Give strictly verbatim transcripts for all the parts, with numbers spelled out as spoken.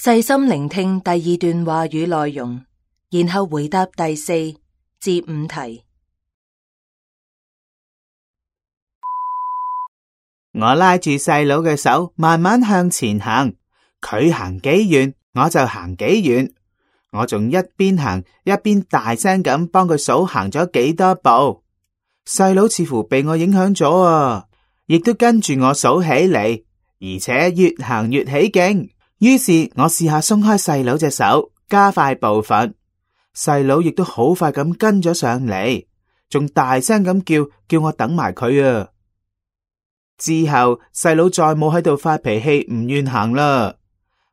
細心聆聽第二段話語內容，然後回答第四至五題。我拉住細佬嘅手，慢慢向前行。佢行幾遠，我就行幾遠。我仲一邊行一邊大聲咁幫佢數行咗幾多步。細佬似乎被我影響咗啊，亦都跟住我數起嚟，而且越行越起勁。於是我試下鬆開細佬隻手，加快步伐。細佬亦都好快咁跟咗上嚟，仲大聲咁叫，叫我等埋佢啊。之後細佬再冇喺度發脾氣，唔願行啦。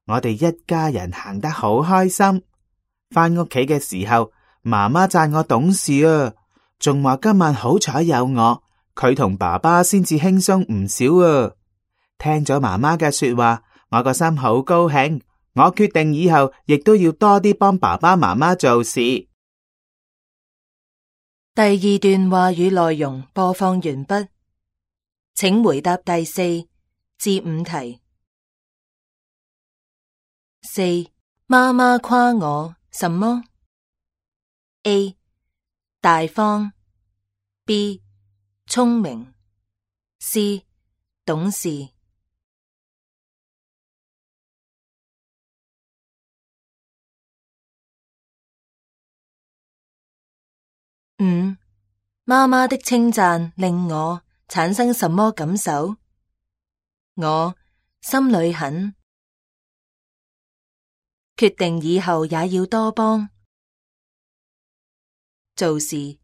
我哋一家人行得好開心。返屋企嘅時候，媽媽讚我懂事啊，仲話今晚好彩有我，佢同爸爸先至輕鬆唔少啊。聽咗媽媽嘅說話，我個心好高興。我決定以後亦都要多啲幫爸爸媽媽做事。第二段話語內容播放完畢，請回答第四至五題。四，媽媽誇我什麼 ？A. 大方 B. 聰明 C. 懂事。五，媽媽的稱讚令我產生什麼感受？我心裏很，決定以後也要多幫做事。